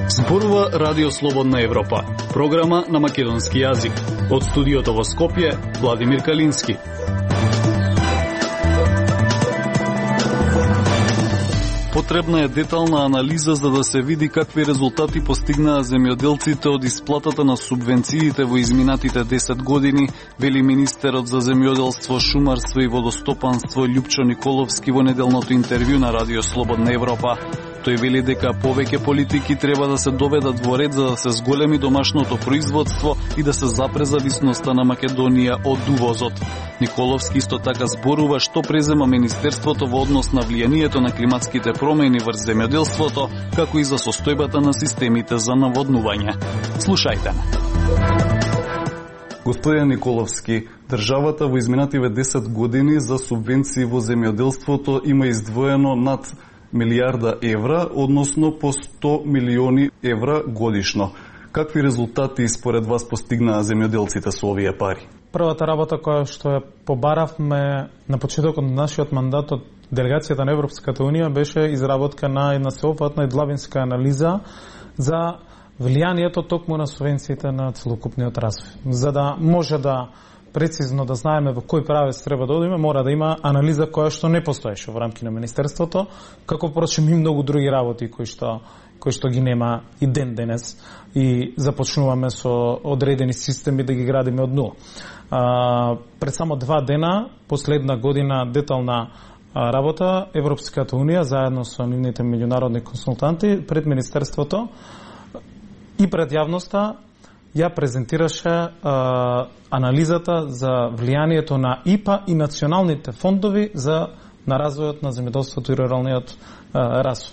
Зборува Радио Слободна Европа, програма на македонски јазик. Од студиото во Скопје, Владимир Калински. Потребна е детална анализа за да се види какви резултати постигнаа земјоделците од исплатата на субвенциите во изминатите 10 години, вели министерот за земјоделство, шумарство и водостопанство Љупчо Николовски во неделното интервју на Радио Слободна Европа. Тој вели дека повеќе политики треба да се доведат во ред за да се зголеми домашното производство и да се запре зависноста на Македонија од увозот. Николовски исто така зборува што презема Министерството во однос на влијанието на климатските промени врз земјоделството, како и за состојбата на системите за наводнување. Слушајте ме. Господин Николовски, државата во изминативе 10 години за субвенции во земјоделството има издвоено над милијарда евра, односно по 100 милиони евра годишно. Какви резултати според вас постигнаа земјоделците со овие пари? Првата работа која што ја побаравме на почетокот на нашиот мандат од делегацијата на Европската унија беше изработка на една сеопфатна и длабинска анализа за влијанието токму на субвенциите на целокупниот развој. За да може да прецизно да знаеме во кој правец треба да одиме, мора да има анализа која што не постоеше во рамки на Министерството, како впрочем и многу други работи кои што ги нема и ден денес и започнуваме со одредени системи да ги градиме од нула. Пред само 2 дена, последна година детална работа, Европската унија заедно со нивните меѓународни консултанти пред Министерството и пред јавноста ја презентираше анализата за влијанието на ИПА и националните фондови на развојот на земјоделството и руралниот развој.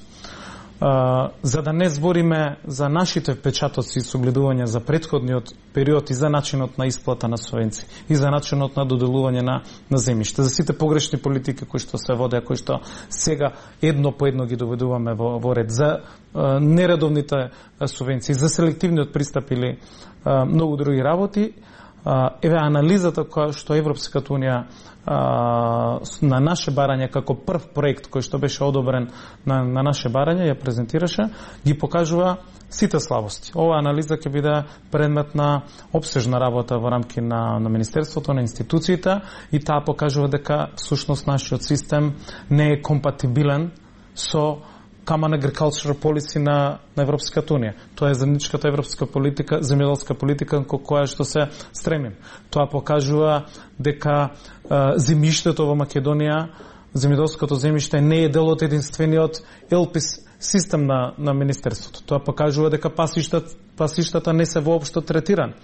За да не збориме за нашите впечатоци и согледување за претходниот период и за начинот на исплата на субвенции и за начинот на доделување на земјиште, за сите погрешни политики кои што се водеа, кои што сега едно по едно ги доведуваме во ред, за нередовните субвенции, за селективниот пристап или многу други работи. Еве анализата која што Европската унија на наше барање како прв проект кој што беше одобрен на наше барање ја презентираше, ги покажува сите слабости. Оваа анализа ќе биде предмет на опсежна работа во рамки на Министерството, на институциите и таа покажува дека всушност нашиот систем не е компатибилен со Common Agricultural Policy на Европската унија. Тоа е заедничката европска политика, земјоделска политика кон која што се стремим. Тоа покажува дека земјиштето во Македонија, земјоделското земјиште не е дел од единствениот ЕЛПИС систем на Министерството. Тоа покажува дека пасиштата не се воопшто третирани.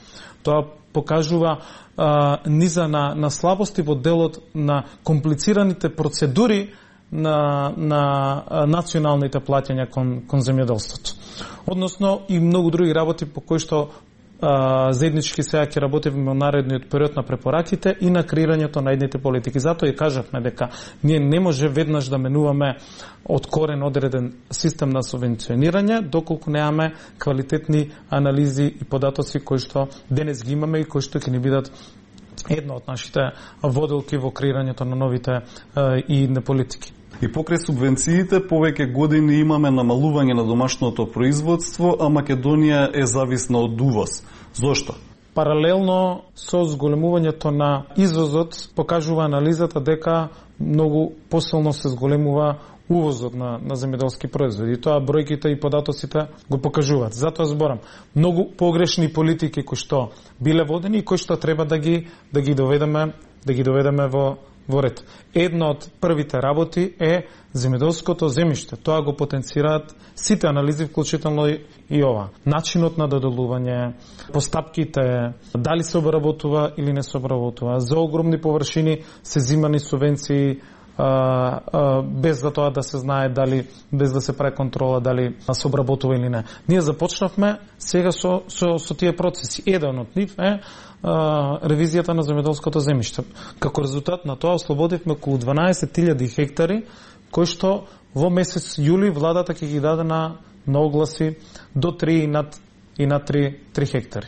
Тоа покажува низа на слабости во делот на комплицираните процедури на националните плаќања кон земјоделството. Односно и многу други работи по кои што заеднички сега ќе работиме во наредниот период на препораките и на креирањето на едните политики. Затоа и кажавме дека ние не може веднаш да менуваме од корен одреден систем на субвенционирање, доколку немаме квалитетни анализи и податоци кои што денес ги имаме и кои што ќе ни бидат една од нашите водилки во креирањето на новите и на политики. И покрај субвенциите, повеќе години имаме намалување на домашното производство, а Македонија е зависна од увоз. Зошто? Паралелно со зголемувањето на извозот, покажува анализата дека многу посилно се зголемува увозот на земјоделски производи. И тоа бројките и податоците го покажуваат. Затоа зборам, многу погрешни политики кои што биле водени и кои што треба да ги доведеме во ред. Една од првите работи е земјоделското земјиште. Тоа го потенцираат сите анализи, вклучително и ова. Начинот на доделување, постапките, дали се обработува или не се обработува. За огромни површини се зимани субвенции без за тоа да се знае дали, без да се прави контрола дали се обработува или не. Ние започнавме сега со тие процеси. Еден од нив е ревизијата на земјоделското земјиште. Како резултат на тоа ослободивме околу 12.000 хектари кои што во месец јули владата ќе ги даде на огласи до 3 и над и на 3 хектари.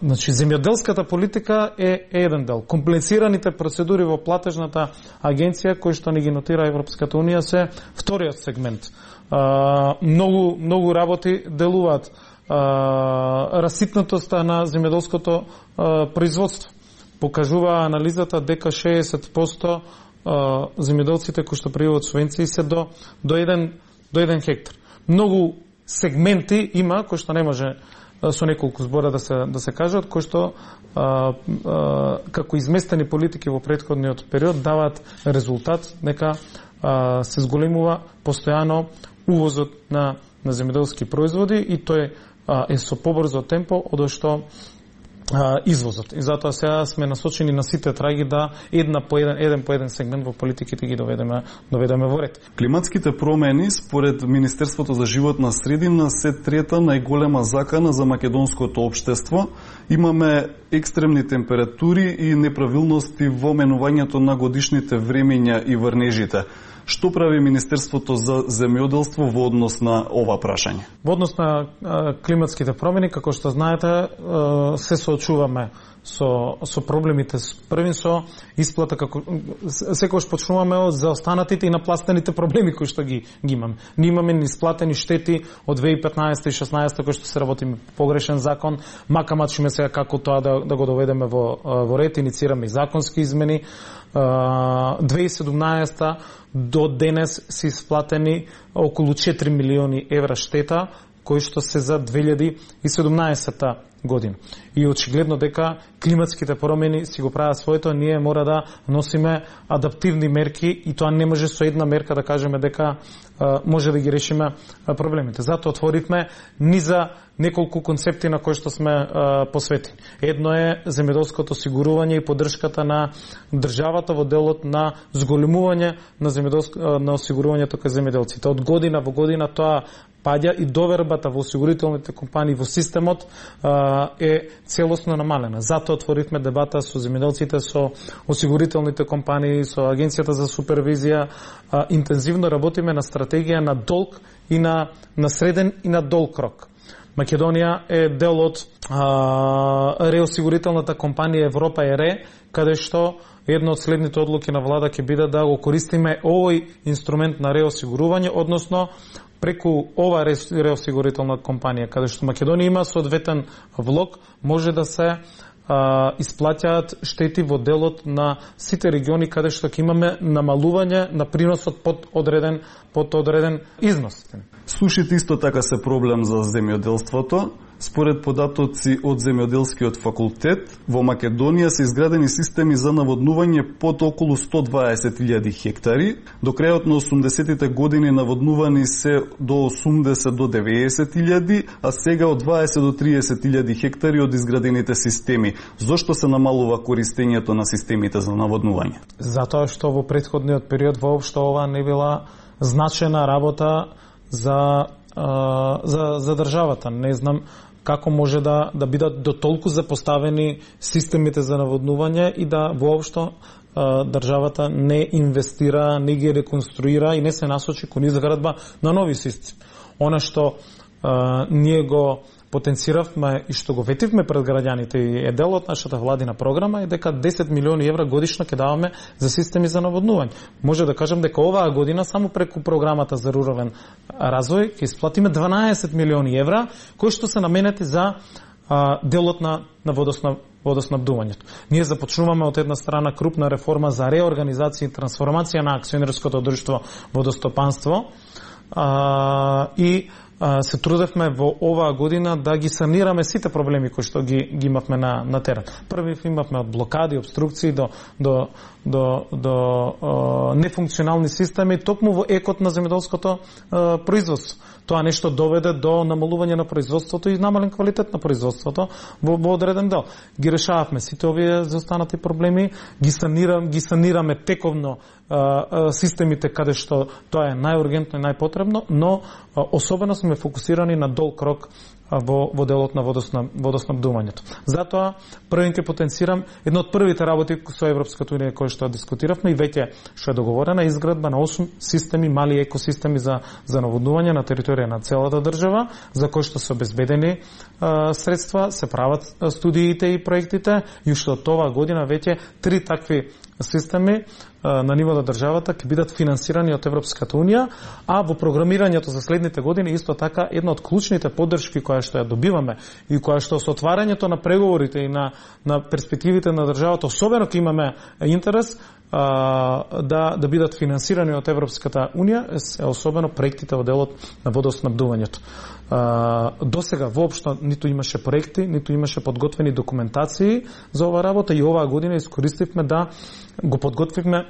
Значи, земјоделската политика е еден дел. Комплицираните процедури во платежната агенција, кои што ни ги нотира Европската Унија, се вториот сегмент. Многу работи делуваат. Раситнатоста на земјоделското производство. Покажува анализата дека 60% земјоделците кои што пријавуваат субвенции се до 1 хектар. Многу сегменти има кои што не може со неколку збора да се кажат, кои што како изместени политики во претходниот период даваат резултат, нека се зголемува постојано увозот на земјоделски производи и тој е со побрзо темпо од што извозот. И затоа сега сме насочени на сите траги да еден по еден сегмент во политиките ги доведеме во ред. Климатските промени според Министерството за животна средина се трета најголема закана за македонското општество. Имаме екстремни температури и неправилности во менувањето на годишните времења и врнежите. Што прави Министерството за земјоделство во однос на ова прашање? Во однос на климатските промени, како што знаете, се соочуваме со проблемите. Првин со исплата, како секогаш почнуваме од заостанатите и напластените проблеми кои што ги имаме. Ние имаме неисплатени штети од 2015 и 2016 кои што се работиме погрешен закон, мака мачиме сега како тоа да го доведеме во ред, иницираме и законски измени. 2017 до денес се исплатени околу 4 милиони евра штета, кои што се за 2017 година. И очигледно дека климатските промени си го прават своето, ние мора да носиме адаптивни мерки и тоа не може со една мерка да кажеме дека може да ги решиме проблемите. Затоа отворивме низа неколку концепти на кои што сме посветени. Едно е земјоделското осигурување и поддршката на државата во делот на зголемување на осигурувањето кај земјоделците. Од година во година тоа паѓа и довербата во осигурителните компании во системот е целосно намалена. Затоа отворивме дебата со земјоделците, со осигурителните компании, со Агенцијата за супервизија. Интензивно работиме на стратегија на долг и на среден и на долг рок. Македонија е дел од реосигурителната компанија Европа ЕРЕ, каде што една од следните одлуки на влада ќе биде да го користиме овој инструмент на реосигурување, односно преку ова реосигурителна компанија, каде што Македонија има соодветен влог, може да се исплаќаат штети во делот на сите региони каде што ќе имаме намалување на приносот под одреден износ. Сушите исто така се проблем за земјоделството. Според податоци од Земјоделскиот факултет, во Македонија се изградени системи за наводнување под околу 120.000 хектари. До крајот на 80-тите години наводнувани се до 80 до 90.000, а сега од 20 до 30.000 хектари од изградените системи. Зошто се намалува користењето на системите за наводнување? Затоа што во претходниот период воопшто ова не била значена работа за државата. Не знам како може да бидат до толку запоставени системите за наводнување и да воопшто државата не инвестира, не ги реконструира и не се насочи кон изградба на нови системи. Она што ние го потенциравме и што го ветивме пред граѓаните и е дел од нашата владина програма е дека 10 милиони евра годишно ќе даваме за системи за наводнување. Може да кажем дека оваа година само преку програмата за рурален развој ќе исплатиме 12 милиони евра кои што се наменети за делот на водоснабдувањето. Ние започнуваме од една страна крупна реформа за реорганизација и трансформација на акционерското друштво водостопанство и се трудевме во оваа година да ги санираме сите проблеми кои што ги имавме на терен. Први имавме од блокади, обструкции до нефункционални системи токму во екот на земјоделското производство. Тоа нешто доведе до намалување на производството и намален квалитет на производството во одреден дел. Ги решававме сите овие заостанати проблеми, ги санираме тековно системите каде што тоа е најургентно и најпотребно, но особено сме фокусирани на долг рок во делот на водоснабдувањето. Затоа првите потенцирам едно од првите работи со Европската унија кои што дискутиравме и веќе што е договорена изградба на 8 системи, мали екосистеми за наводнување на територија на целата држава, за кои што се обезбедени средства, се прават студиите и проектите и уште од оваа година веќе 3 такви системи на ниво на државата ќе бидат финансирани од Европската унија, а во програмирањето за следните години исто така една од клучните поддршки која што ја добиваме и која што со отварањето на преговорите и на перспективите на државата особено ќе имаме интерес да бидат финансирани од Европската унија, особено проектите во делот на водоснабдувањето. До сега воопшто ниту имаше проекти, ниту имаше подготвени документации за оваа работа и оваа година искористивме да го подготвивме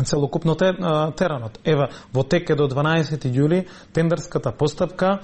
целокупно теранот. Ева, во тек е до 12 јули тендерската постапка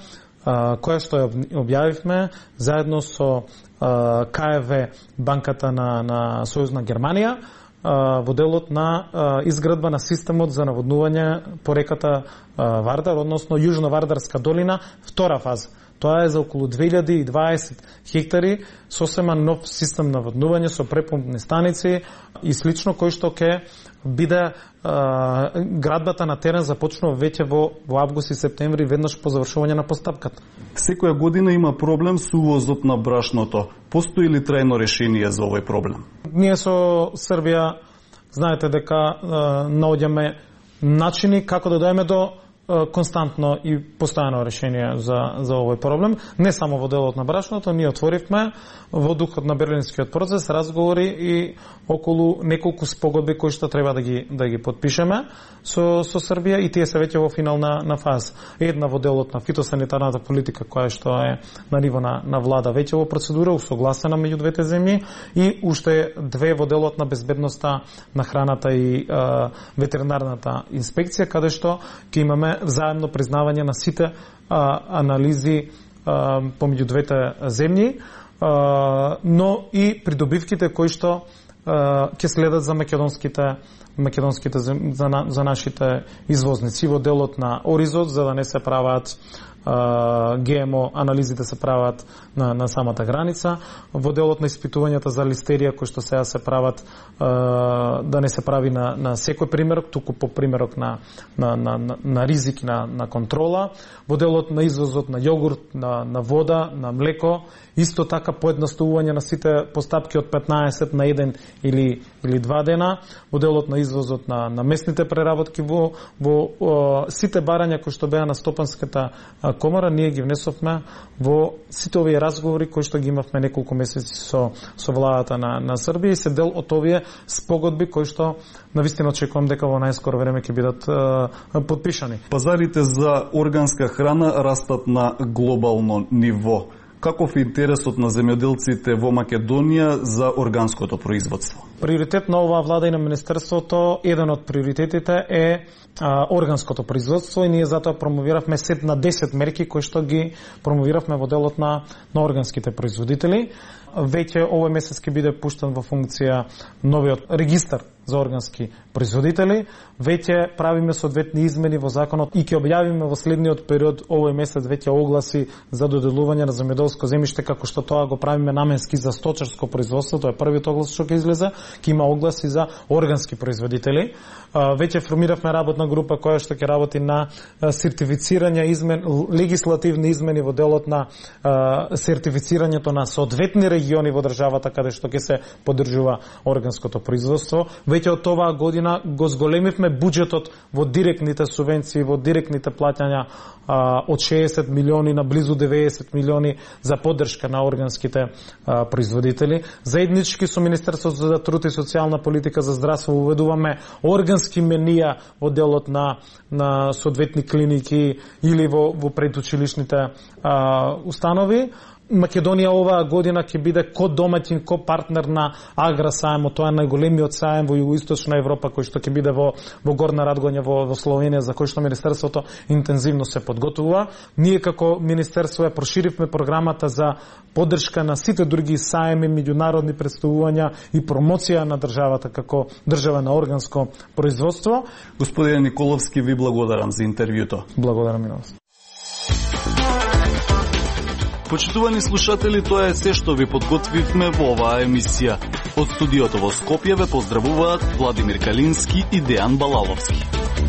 која што ја објавивме заедно со КФВ, банката на Сојузна Германија, во делот на изградба на системот за наводнување по реката Вардар, односно Јужно-Вардарска долина, втора фаза. Тоа е за околу 2020 хектари, сосема нов систем на наводнување со препомпни станици и слично, кој што ќе биде градбата на терен започнува веќе во август и септември, веднаш по завршување на постапката. Секоја година има проблем со увозот на брашното. Постои ли трајно решение за овој проблем? Ние со Србија знаете дека наоѓаме начини како да дојдеме до константно и постојано решение за овој проблем. Не само во делот на брашното, ние отворивме во духот на Берлинскиот процес разговори и околу неколку спогодби кои што треба да ги подпишеме со Србија и тие се веќе во финална фаза. Една во делот на фитосанитарната политика која што е на ниво на влада веќе во процедура, усогласена меѓу двете земји и уште две во делот на безбедноста на храната и ветеринарната инспекција, каде што ќе имаме заедно признавање на сите анализи помеѓу двете земји, но и придобивките кои што ќе следат за македонските за нашите извозници во делот на оризот, за да не се прават ГМО анализите се прават на самата граница, во делот на испитувањата за листерија кои што сега се прават да не се прави на секој примерок, туку по примерок на ризик на контрола, во делот на извозот на јогурт, на вода, на млеко, исто така поедноставување на сите постапки од 15 на 1 или 2 дена, во делот на извозот на месните преработки во сите барања кои што беа на Стопанската комора, ние ги внесовме во сите овие разговори кои што ги имавме неколку месеци со владата на Србија и се дел од овие спогодби кои што навистина очекувам дека во најскоро време ќе бидат подпишани. Пазарите за органска храна растат на глобално ниво. Каков е интересот на земјоделците во Македонија за органското производство? Приоритет на оваа влада и на Министерството, еден од приоритетите е органското производство и ние затоа промовиравме сет на 10 мерки кои што ги промовиравме во делот на органските производители. Веќе овој месец ќе биде пуштен во функција новиот регистар за органски производители. Веќе правиме соодветни измени во законот и ќе објавиме во следниот период овој месец веќе огласи за доделување на земјоделско земјиште, како што тоа го правиме наменски за сточарско производство. Тоа е првиот оглас што ќе излезе. Ќе има огласи за органски производители. Веќе формиравме работна група која што ќе работи на сертифицирање легислативни измени во делот на сертифицирањето на соодветни региони во државата каде што ќе се поддржува органското производство. Веќе од оваа година го зголемивме буџетот во директните субвенции, во директните плаќања од 60 милиони на близу 90 милиони за поддршка на органските производители. Заеднички со Министерството за труд и социјална политика за здравство уведуваме органски менија во делот на соодветни клиники или во предучилишните установи. Македонија оваа година ќе биде домаќин, партнер на Аграсаемот, тоа е најголемиот саем во југоисточна Европа кој што ќе биде во Горна Радгоња во Словенија, за кој што Министерството интензивно се подготвува. Ние како Министерство ја проширивме програмата за поддршка на сите други саеми, меѓународни претставувања и промоција на државата како држава на органско производство. Господине Николовски, ви благодарам за интервјуто. Благодарам и на вас. Почитувани слушатели, тоа е се што ви подготвивме во оваа емисија. Од студиото во Скопје ве поздравуваат Владимир Калински и Дејан Балаловски.